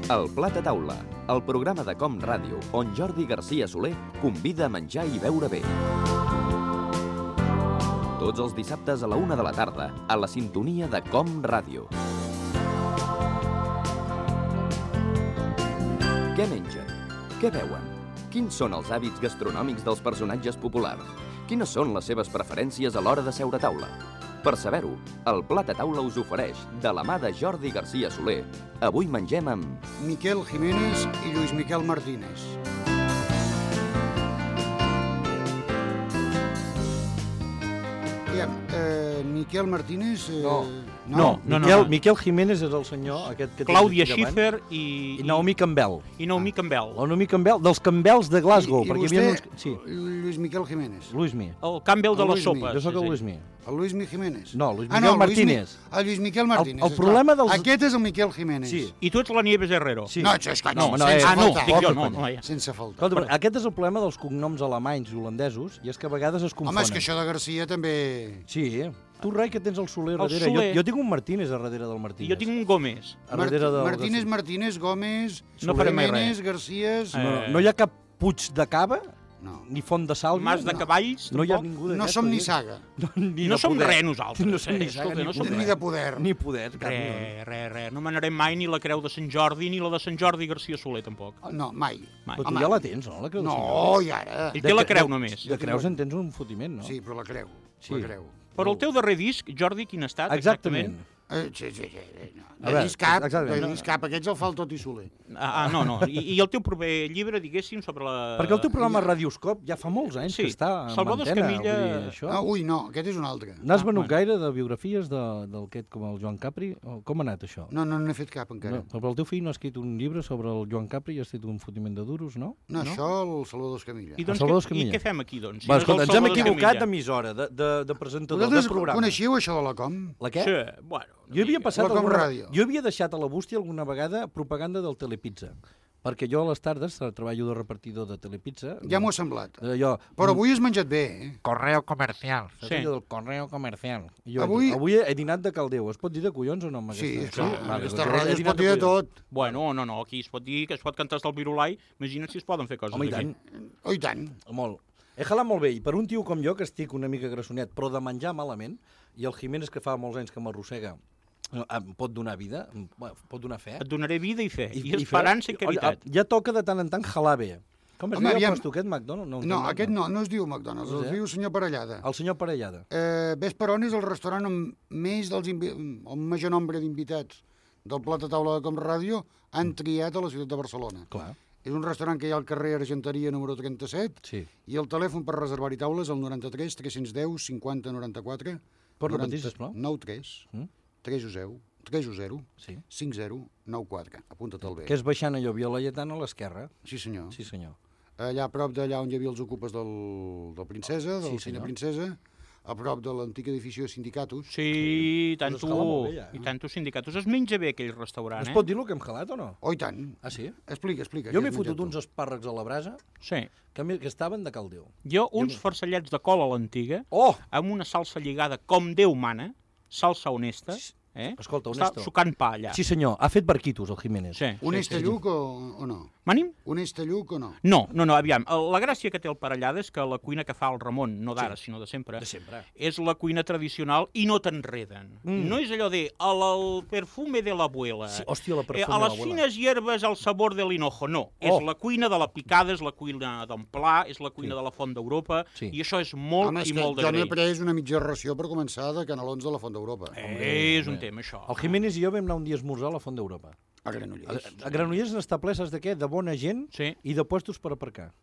El Plat a Taula, el programa de Com Ràdio, on Jordi Garcia Soler convida a menjar i beure bé. Tots els dissabtes a la 1 de la tarda, a la sintonia de Com Ràdio. Què mengen? Què beuen? Quins són els hàbits gastronòmics dels personatges populars? Quines són les seves preferències a l'hora de seure a taula? Per saber-ho, el Plat a Taula us ofereix, de la mà de Jordi Garcia Soler, avui mengem amb... Miquel Jiménez i Lluís Miquel Martínez. Miquel Martínez... No. Miquel Jiménez és el senyor aquest que... Clàudia Schiffer i Naomi Campbell. I Naomi Campbell. La Naomi Campbell, dels Campbells de Glasgow. I vostè, Lluís Miquel Jiménez. Luismi. El Campbell de les sopes. Jo sóc el Luismi. El Luismi Jiménez. No, Lluís Miquel Martínez. El Lluís Miquel Martínez. El problema dels... Aquest és el Miquel Jiménez. Sí. I tu ets la Nieves Herrero. Sí. No, això és que no, No, sense faltar. dic jo, no. Sense faltar. Escolta, aquest és el problema dels cognoms alemanys i holandesos, i és que a vegades es confonen. Home, és que això de Garcia també... Sí, Tu, Rai, que tens el Soler El darrere. Soler. Jo tinc un Martínez a darrere del Martínez. I jo tinc un Gómez. A darrere del... Martínez, Gómez, No farem mai Jiménez, res. Garcías... No hi ha cap Puig de Cava, No. ni Font de Sàlvia. Mas de Cavalls, No hi ha tampoc. ningú No d'aquests. som ni saga, No som res nosaltres. No som ni saga, Escolta, no som ni res. de poder. Ni poder. Res. No manarem mai ni la Creu de Sant Jordi ni la de Sant Jordi Garcia Soler, tampoc. No, mai. Però tu ja la tens, no? La creu de Sant No, Jordi? i ara... Ell té la Creu només. De creus en tens un fotiment, no? Sí, però la creu. Sí. La creu. Però el teu darrer disc, Jordi, quin ha estat Exactament. Sí. No. A veure, exactament. De discap, aquests el fa el Tot i Soler. No. I el teu proper llibre, diguéssim, sobre la... Perquè el teu programa Radioscop ja fa molts anys que està en Salvador antena. Escamilla- Vull dir, això. Ui, no, aquest és un altre. N'has venut gaire de biografies del aquest com el Joan Capri? Com ha anat això? No n'he fet cap encara. No, però el teu fill no ha escrit un llibre sobre el Joan Capri i ha escrit un fotiment de duros, no? No, això el Salvador Escamilla. I, doncs, Salvador I Escamilla. què fem aquí, doncs? Va, no és escolta, el ens hem Salvador equivocat Escamilla. d'emissora, de presentador, de Vosaltres programa. coneixeu això de la Com? La què? Sí, bueno. Jo havia passat La Com Ràdio. Jo havia deixat a la bústia alguna vegada propaganda del Telepizza, perquè jo a les tardes treballo de repartidor de Telepizza. Ja m'ho ha semblat. Allò, Però avui has menjat bé, eh? Correo comercial. sí. Del correo comercial. Jo, Avui- avui he dinat de caldeu. Es pot dir de collons o no? Amb Sí, aquesta? en Vale, aquesta doncs he ràdio es dinat pot dir de collons. tot. Bueno, no, aquí es pot dir que es pot cantar hasta el virulai. Imagina't si es poden fer coses Home, i aquí. tant. Oh, i tant. Molt. He jalat molt bé, i per un tio com jo, que estic una mica grassonet, però de menjar malament, i el Jiménez, que fa molts anys que m'arrossega, em pot donar vida, pot donar fe. Et donaré vida i fe, i fe. esperança i caritat. Ja toca de tant en tant jalar bé. Com es Home, diu aviam. el aquest McDonald's? No, aquest no es diu McDonald's, No sé. es diu Senyor Parellada. El senyor Parellada. Ves per on és el restaurant amb més el major nombre d'invitats del Plat a Taula de Com Ràdio han triat a la ciutat de Barcelona. Clar, És un restaurant que hi ha al carrer Argenteria número 37 sí. i el telèfon per reservar-hi taules el 93 310 50 94 Pots repetir, sisplau? 93 Mm? 310 Sí. 50 94. Apunta-te'l bé. Que és baixant allò, Via Laietana, a l'esquerra. Sí, senyor. Sí, senyor. Allà a prop d'allà on hi havia els ocupes del Princesa, del Sí, Cine senyor. Princesa, a prop de l'antic edifici de sindicatos. Sí, i tant Us escala molt bé, ja, eh? i tant sindicatos. Es menja bé aquell restaurant, Es pot dir el que hem jalat o no? Oh, i tant. Ah, sí? Explica. Jo què m'he has fotut menjat tu? uns espàrrecs a la brasa Sí. que estaven de caldeu. Jo, uns farcellets de col a l'antiga, Oh! amb una salsa lligada com Déu mana, salsa honesta, Escolta, Està honesto. sucant pa allà. Sí, senyor, ha fet barquitos, el Jiménez. Sí. Un estalluc o no? M'ànim? Un estalluc o no? No, aviam. La gràcia que té el Parellada és que la cuina que fa el Ramon, no d'ara, sinó de sempre, De sempre. és la cuina tradicional i no t'enreden. No és allò de el perfume de l'abuela, Sí, hòstia, la perfume a de les l'abuela. fines hierbes el sabor de l'hinojo. No, és la cuina de la picada, és la cuina d'en Pla, és la cuina de la Font d'Europa, Sí. i això és molt Home, és i que molt jo n'he d'agrair. pres una mitja ració per començar de canelons de la Font d'Europa. És un tema, això. El Jiménez i jo vam anar un dia a esmorzar a la Font d'Europa. A Granollers. A Granollers n'està ple, saps de què? De bona gent Sí. i de puestos per aparcar.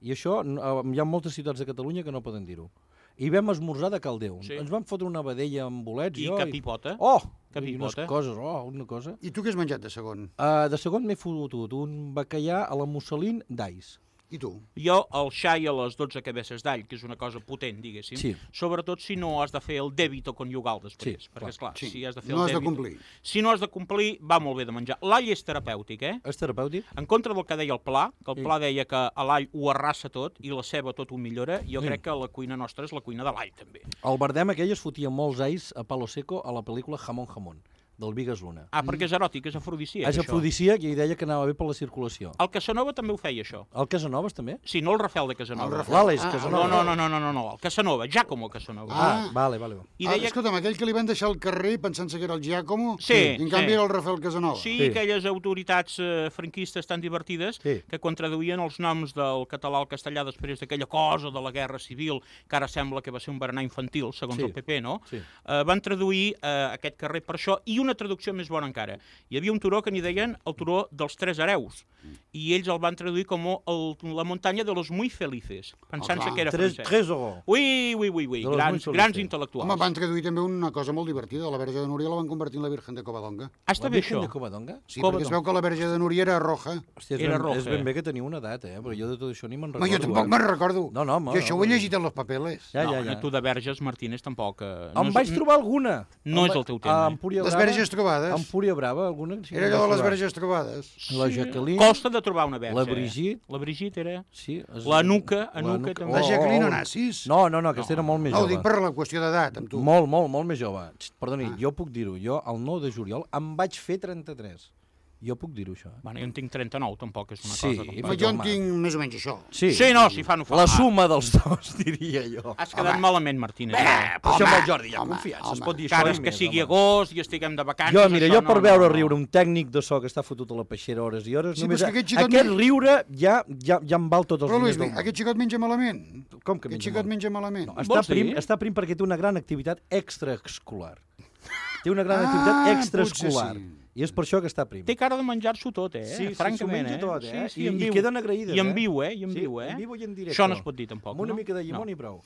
I això hi ha moltes ciutats de Catalunya que no poden dir-ho. I vam esmorzar de caldeu. Sí. Ens vam fotre una vedella amb bolets. I jo, capipota. Oh! Capipota. I unes coses, una cosa. I tu què has menjat de segon? De segon m'he fotut un bacallà a la musselín d'ais. I tu? Jo, el xai a les 12 cabesses d'all, que és una cosa potent, diguéssim, Sí. sobretot si no has de fer el dèbito conjugal després, Sí, perquè, clar. esclar, Sí. si has de fer No el has de dèbito... complir. Si no has de complir, va molt bé de menjar. L'all és terapèutic, És terapèutic? En contra del que deia el Pla, que el Pla deia que a l'all ho arrasa tot i la ceba tot ho millora, jo crec que la cuina nostra és la cuina de l'all, també. El Bardem aquell es fotia molts ais a palo seco a la pel·lícula Jamón Jamón. del Bigues Luna. Ah, perquè és eròtic, és afrodisíac, És això. afrodisíac i deia que anava bé per la circulació. El Casanova també ho feia, això. El Casanovas també? Sí, no el Rafael de Casanova. L'Àlex No, Casanova. no, el Casanova, Giacomo Casanova. Ah, vale. I deia... Escolta'm, aquell que li van deixar al carrer pensant-se que era el Giacomo, Sí, i en canvi sí. era el Rafael Casanova. Sí, Sí. aquelles autoritats franquistes tan divertides Sí. que quan traduïen els noms del català al castellà després d'aquella cosa de la Guerra Civil, que ara sembla que va ser un berenar infantil, segons Sí. el PP, no? Sí. Van traduir aquest carrer per això, i una traducció més bona encara. Hi havia un turó que n'hi deien el turó dels Tres Hereus, i ells el van traduir com la muntanya de los muy felices, pensant-se clar. que era francès. Trésor. Ui, De los muy grans felices. intel·lectuals. Home, van traduir també una cosa molt divertida. La Verge de Núria la van convertir en la Virgen de Covadonga. Ah, està La bé Virgen això. de Covadonga? Sí, Covadonga. perquè es veu que la Verge de Núria era roja. Hòstia, Era és roja. ben bé que teniu una edat, perquè jo de tot això ni me'n Home, recordo. jo tampoc me'n recordo. No, home, Jo això ho he home. llegit en los papeles. Ja, No, tu de Verges, Martínez, tampoc... Em vaig trobar alguna. No és el teu tema, A eh? Empúria Les Brava. verges trobades. A Empúria Brava, alguna? Sí, Era em allò de vaig les trobar. verges trobades. La Jacqueline. Costa de trobar una verge. La Brigitte. La Brigitte era... Sí, La Nuca, també. La Jacqueline Onassis. No, aquesta era molt més No, ho jove. dic per la qüestió d'edat, amb tu. Molt més jove. Perdoni, jo puc dir-ho. Jo, el 9 de juliol, em vaig fer 33. Jo puc dir-ho, això. Bueno, jo en tinc 39, tampoc és una Sí, cosa... i Com... Home, jo en tinc més o menys això. Sí, Sí, no, si fa no fa. la suma dels dos, diria jo. Has quedat malament, Martínez. Per això amb el Jordi hi ha confiança, es pot dir Encara això és i que més, sigui home. agost i estiguem de vacances... Jo, mira, això jo per no, veure no, no. riure un tècnic de so que està fotut a la peixera hores i hores, Sí, només però és que aquest xicot aquest no- riure ja em val tots els Però, Luis, diners del món. aquest xicot menja malament. Com que Aquest menja xicot molt? menja malament. No, Vols dir? està prim perquè té una gran activitat extraescolar. Té una gran activitat extraescolar. potser sí. I és per això que està prim. Té cara de menjar-s'ho tot, Sí, francament, s'ho menja tot, Sí, I en viu. queden agraïdes, I en viu, I en Sí, viu, en viu i en directe. Això no es pot dir, tampoc, Amb una no? mica de llimona No. i prou.